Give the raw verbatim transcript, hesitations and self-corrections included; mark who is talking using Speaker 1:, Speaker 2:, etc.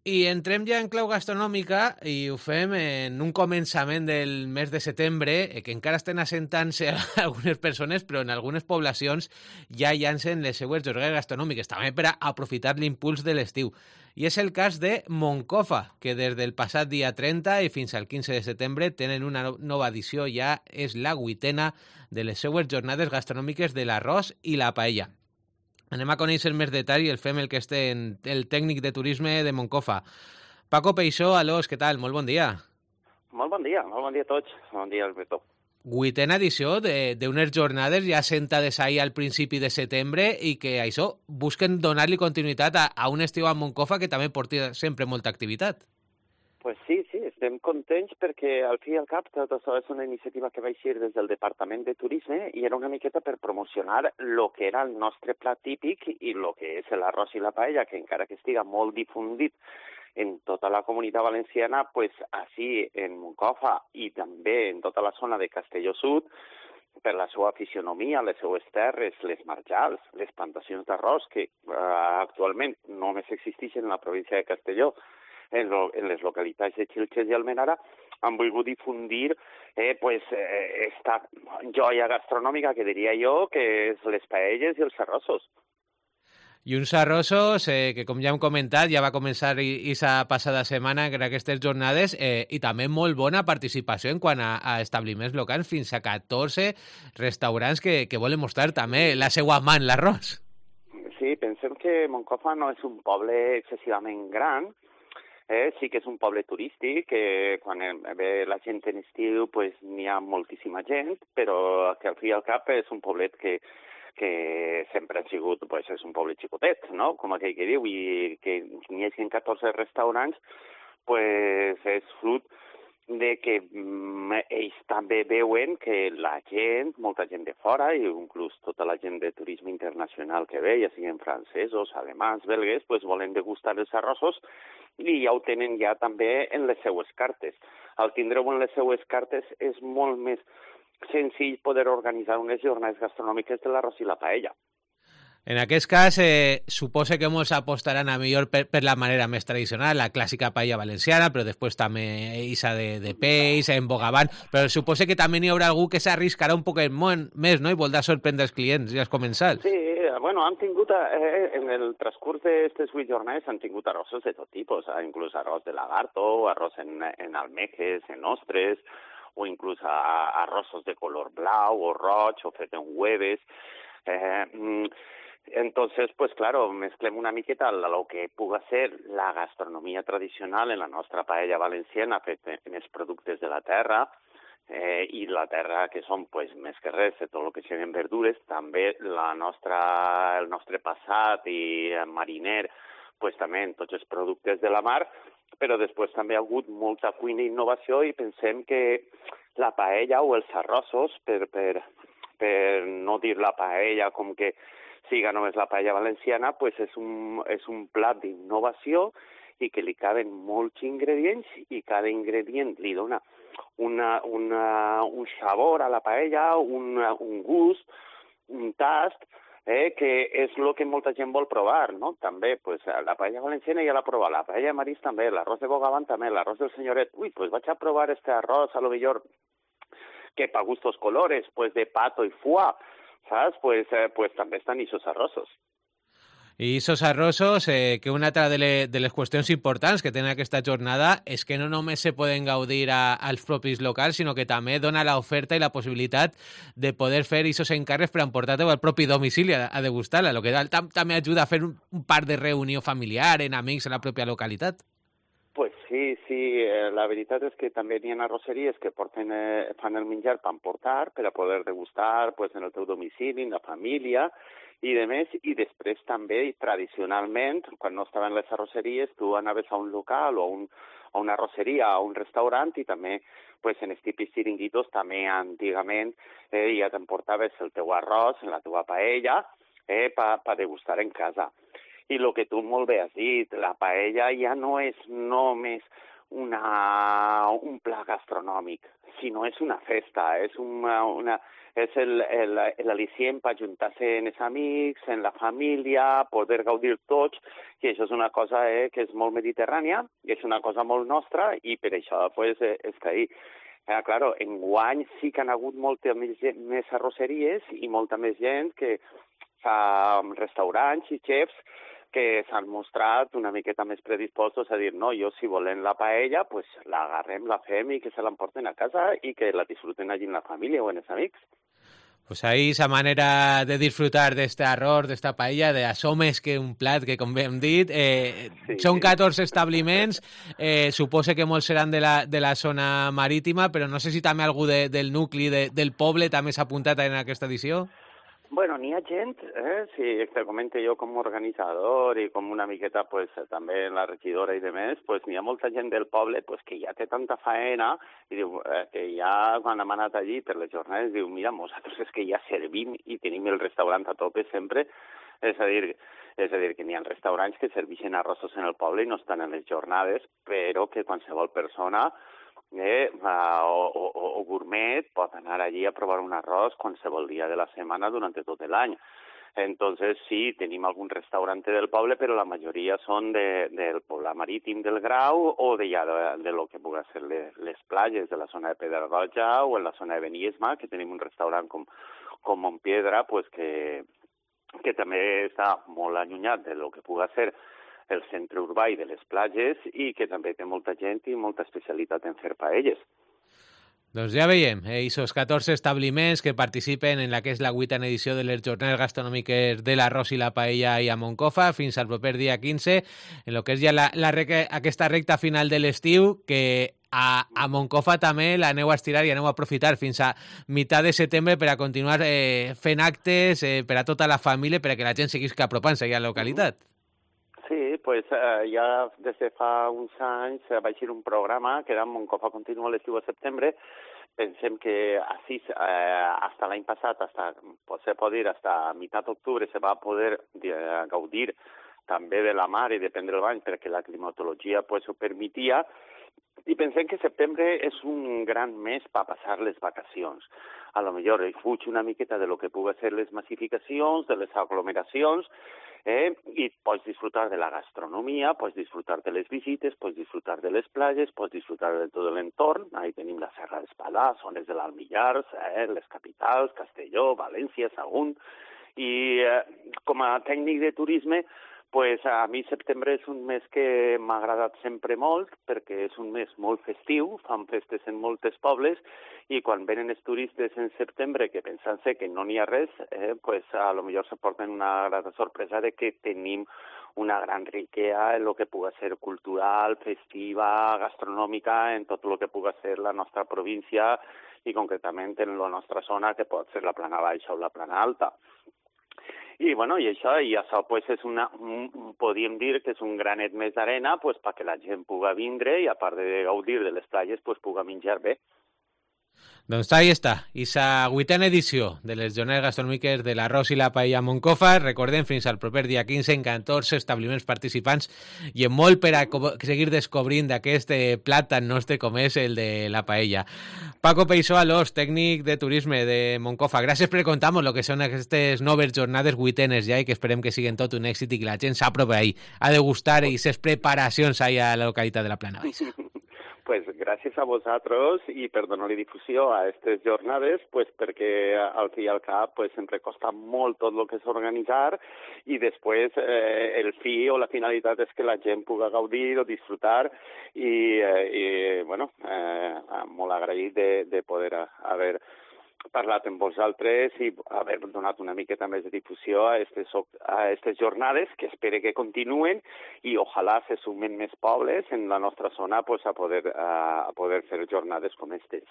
Speaker 1: I entrem ja en clau gastronòmica i ho fem en un començament del mes de setembre, que encara estan assentant-se algunes persones, però en algunes poblacions ja llancen les seues jornades gastronòmiques, també per a aprofitar l'impuls de l'estiu. I és el cas de Moncofa, que des del passat dia trenta i fins al quinze de setembre tenen una nova edició, ja és la vuitena de les seues jornades gastronòmiques de l'arròs i la paella. Anem a conèixer més detall i el fem el que esté en el tècnic de turisme de Moncofa. Paco Peixó, alós, què tal? Molt bon dia.
Speaker 2: Molt bon dia, molt bon dia a tots. Bon dia, Alberto.
Speaker 1: Vuitena edició d'unes jornades ja sentades ahir al principi de setembre i que això busquen donar-li continuïtat a, a un estiu a Moncofa que també porta sempre molta activitat.
Speaker 2: Pues sí, sí, estem contents perquè al fi i al cap tot això és una iniciativa que va eixir des del Departament de Turisme i era una miqueta per promocionar el que era el nostre plat típic i el que és l'arròs i la paella, que encara que estiga molt difundit en tota la comunitat valenciana, pues així en Moncofa i també en tota la zona de Castelló Sud, per la seva fisionomia, les seues terres, les marjals, les plantacions d'arròs que eh, actualment només existeixen en la província de Castelló, en, lo, en les localitats de Xilxes i Almenara, han volgut difundir eh, pues, eh, esta joia gastronòmica que diria jo que és les paelles i els arrossos.
Speaker 1: I uns arrossos eh, que, com ja hem comentat, ja va començar aquesta passada setmana en aquestes jornades eh, i també molt bona participació en quant a, a establiments locals, fins a catorze restaurants que, que volen mostrar també la seva mà en l'arròs. Sí,
Speaker 2: pensem que Moncofa no és un poble excessivament gran. Eh, sí que és un poble turístic, que quan ve la gent en estiu pues, n'hi ha moltíssima gent, però que al fi i al cap és un poblet que, que sempre ha sigut, pues, és un poble xicotet, no? Com aquell que diu, i que n'hi hagi catorze restaurants, pues, és fruit de que mm, ells també veuen que la gent, molta gent de fora, i inclús tota la gent de turisme internacional que ve, ja siguin francesos, alemans, belgues, pues, volen degustar els arrossos i ja ho tenen ja també en les seues cartes. Al tindre-ho en les seues cartes és molt més senzill poder organitzar unes jornades gastronòmiques de l'arròs i la paella.
Speaker 1: En aquest cas, eh, suposa que molts apostaran a millor per, per la manera més tradicional, la clàssica paella valenciana, però després també isa de, de peix, en bogavant, però suposa que també n'hi haurà algú que s'arriscarà un poc més, no?, i voldrà sorprendre els clients i els comensals.
Speaker 2: Sí, bueno, han tingut, eh, en el transcurs d'aquestes vuit jornades han tingut arrossos de tot tipus, eh, inclús arròs de lagarto, arròs en, en almejes, en ostres, o inclús a, arrossos de color blau o roig, o fet en hueves. Eh, Entonces, pues claro, mezclem una miqueta lo que puga ser la gastronomia tradicional en la nostra paella valenciana fet en els productes de la terra, eh, i la terra que són pues, més que res de tot el que siguin verdures, també la nostra, el nostre passat i mariner, pues, també en tots els productes de la mar, però després també ha hagut molta cuina i innovació i pensem que la paella o els arrossos, per, per, per no dir la paella com que siga només la paella valenciana, pues és un, és un plat d'innovació i que li caben molts ingredients i cada ingredient li dona una, una, un sabor a la paella, una, un gust, un tast, eh, que és el que molta gent vol provar, no? També, pues, la paella valenciana ja l'ha provat, la paella de marís també, l'arròs de bogavant també, l'arròs del senyoret. Ui, pues vaig a provar este arròs, a lo millor que pa gustos colores, pues de pato y foie, ¿sabes? Pues, eh, pues també estan esos arrossos.
Speaker 1: I esos arrossos, eh, que una altra de, le, de les qüestions importants que tenen aquesta jornada és que no només se poden gaudir a, als propis locals, sinó que també dona l'oferta i la possibilitat de poder fer esos encàrrecs per emportar-te al propi domicili a, a degustar-la, el que tam, també ajuda a fer un, un part de reunió familiar, en amics, en la pròpia localitat.
Speaker 2: Pues sí, sí, eh, la veritat és que també hi ha arrosseries que porten, eh, fan el menjar per emportar, per a poder degustar pues, en el teu domicili, en la família i de més, i després també tradicionalment, quan no estaven les arrosseries, tu anaves a un local o a, un, a una arrosseria, a un restaurant i també pues, en els típics xiringuitos també antigament eh, ja t'emportaves el teu arròs, la teva paella, eh, per pa degustar en casa. I el que tu molt bé has dit, la paella ja no és només una, un pla gastronòmic, sinó és una festa, és una, una és el, el, l'al·licient per ajuntar-se amb els amics, en la família, poder gaudir tots, i això és una cosa eh, que és molt mediterrània, i és una cosa molt nostra, i per això pues, eh, està ahí. Eh, claro, enguany sí que han hagut molta més, més arrosseries i molta més gent que fa restaurants i xefs que s'han mostrat una miqueta més predispostos a dir no, jo si volen la paella, pues la agarrem, la fem i que se l'emporten a casa i que la disfruten allí en la família o en els amics.
Speaker 1: Pues ahí esa manera de disfrutar d'este arròs, d'esta paella, de això més que un plat, que com bé hem dit, eh, sí, són catorze establiments, eh, suposo que molts seran de la, de la zona marítima, però no sé si també algú de, del nucli de, del poble també s'ha apuntat en aquesta edició.
Speaker 2: Bueno, n'hi ha gent, eh, si te comente jo com a organitzador i com una miqueta pues, també la regidora i demés, pues, n'hi ha molta gent del poble pues, que ja té tanta faena i diu eh, que ja quan hem anat allí per les jornades diu mira, nosaltres és que ja servim i tenim el restaurant a tope sempre, és a dir, és a dir que n'hi ha restaurants que serveixen arrossos en el poble i no estan en les jornades, però que qualsevol persona Eh, o, o, o gourmet pot anar allí a provar un arròs qualsevol dia de la setmana durant tot l'any. Entonces, sí, tenim algun restaurant del poble, però la majoria són de, del poble marítim del Grau o de, ja, de, de lo que pugui ser les, les platges de la zona de Pedralbija o en la zona de Beniesma, que tenim un restaurant com, com Montpiedra, pues que, que també està molt allunyat de lo que pugui ser el centre urbà i de les platges i que també té molta gent i molta especialitat en fer paelles.
Speaker 1: Doncs ja veiem, eh, esos catorze establiments que participen en la que és la vuitena edició de les jornades gastronòmiques de l'arròs i la paella i a Moncofa fins al proper dia quinze, en lo que és ja la, la rec aquesta recta final de l'estiu, que a, a Moncofa també l'aneu a estirar i aneu a aprofitar fins a meitat de setembre per a continuar eh, fent actes eh, per a tota la família, per a que la gent seguisca apropant-se a la localitat.
Speaker 2: Sí, pues eh, ja des de fa uns anys eh, va ser un programa que era Moncofa Continua l'estiu a setembre. Pensem que així, eh, hasta l'any passat, hasta, se pot dir, hasta mitad d'octubre se va poder eh, gaudir també de la mar i de prendre el bany perquè la climatologia pues, ho permetia. I pensem que setembre és un gran mes per passar les vacacions. A lo millor fuig una miqueta de lo que pugui ser les massificacions, de les aglomeracions, eh? i pots disfrutar de la gastronomia, pots disfrutar de les visites, pots disfrutar de les platges, pots disfrutar de tot l'entorn. Ahí tenim la Serra d'Espadà, zones de l'Almillars, eh? les capitals, Castelló, València, Sagunt. I eh, com a tècnic de turisme, pues a mi setembre és un mes que m'ha agradat sempre molt perquè és un mes molt festiu, fan festes en moltes pobles i quan venen els turistes en setembre que pensant-se que no n'hi ha res, eh, pues a lo millor se porten una grata sorpresa de que tenim una gran riquesa en lo que pugui ser cultural, festiva, gastronòmica, en tot el que pugui ser la nostra província i concretament en la nostra zona que pot ser la plana baixa o la plana alta. I, bueno, i això, i això pues, és una, un, podríem dir que és un granet més d'arena pues, perquè la gent pugui vindre i, a part de gaudir de les platges, pues, pugui menjar bé.
Speaker 1: Doncs ahí està, esa vuitena edició de les jornades gastronòmiques de l'arròs i la paella a Moncofa. Recordem, fins al proper dia quinze en catorze establiments participants i en molt per a seguir descobrint d'aquest plat tan nostre com és el de la paella. Paco Peixó Alós, tècnic de turisme de Moncofa, gràcies per contar-nos el que són aquestes noves jornades vuitenes ja i que esperem que siguin tot un èxit i que la gent s'apropi ahí a degustar i ses preparacions ahí a la localitat de la Plana Baixa.
Speaker 2: Pues gràcies a vosaltres i per donar-li difusió a aquestes jornades, pues perquè al fi i al cap pues, sempre costa molt tot el que és organitzar i després eh, el fi o la finalitat és que la gent pugui gaudir o disfrutar i, eh, i bueno, eh, molt agraït de, de poder haver parlat amb vosaltres i haver donat una miqueta més de difusió a aquestes jornades que espero que continuen i ojalà se sumen més pobles en la nostra zona pues, a, poder, a poder fer jornades com aquestes.